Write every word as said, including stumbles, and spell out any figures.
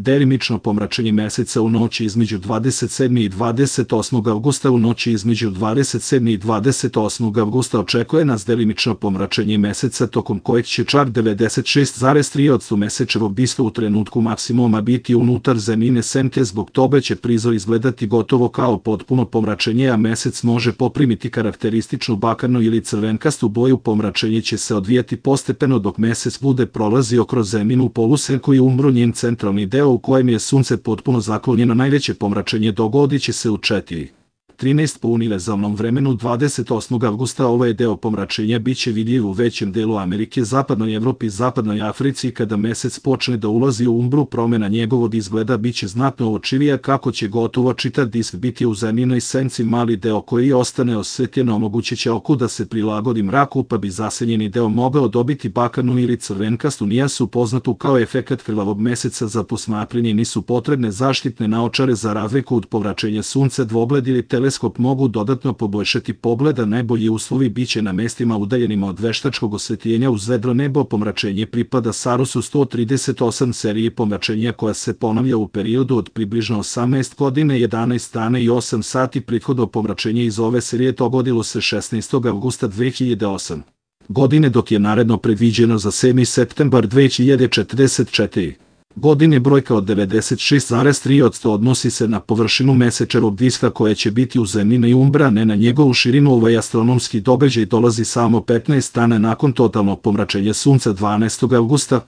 Delimično pomračenje meseca u noći između dvadeset sedmog i dvadeset osmog avgusta. U noći između dvadeset sedmog i dvadeset osmog avgusta očekuje nas delimično pomračenje meseca, tokom kojeg će čak devedeset šest zarez tri posto mesečevog diska u trenutku maksimuma biti unutar zemljine senke. Zbog toga će prizor izgledati gotovo kao potpuno pomračenje, a mesec može poprimiti karakterističnu bakarnu ili crvenkastu boju. Pomračenje će se odvijati postepeno dok mesec bude prolazio kroz zemljinu polusenku i umro njen centralni deo u kojem je sunce potpuno zaklonjeno. Najveće pomračenje dogodit će se u četiri trinaest po univerzalnom vremenu dvadeset osmog avgusta. Ovaj deo pomračenja biće vidljiv u većem delu Amerike, zapadnoj Evropi i zapadnoj Africi. Kada mesec počne da ulazi u umbru, promjena njegovog izgleda biće znatno očivija, kako će gotovo čitav disk biti u zemljinoj senci. Mali deo koji ostane osvetljen omogućit će oku da se prilagodi mraku, pa bi zasenjeni deo mogao dobiti bakarnu ili crvenkastu nijansu poznatu kao efekat krvavog meseca. Za posmatranje nisu potrebne zaštitne naočare za razliku od pomračenja sunca. Dvogled ili teleskop mogu dodatno poboljšati pogled, a najbolji uslovi biće na mestima udaljenima od veštačkog osvetljenja uz vedro nebo. Pomračenje pripada Sarusu sto trideset osam seriji pomračenja, koja se ponavlja u periodu od približno osamnaest godine, jedanaest dana i osam sati. Prethodno pomračenje iz ove serije dogodilo se šesnaestog avgusta dve hiljade osme godine, dok je naredno predviđeno za sedmi septembar dve hiljade četrdeset četvrte godine. Brojka od devedeset šest zarez tri posto odnosi se na površinu mesečevog diska koja će biti u zemljinoj umbri, a ne na njegovu širinu. Ovaj astronomski događaj dolazi samo petnaest dana nakon totalnog pomračenja sunca dvanaestog avgusta.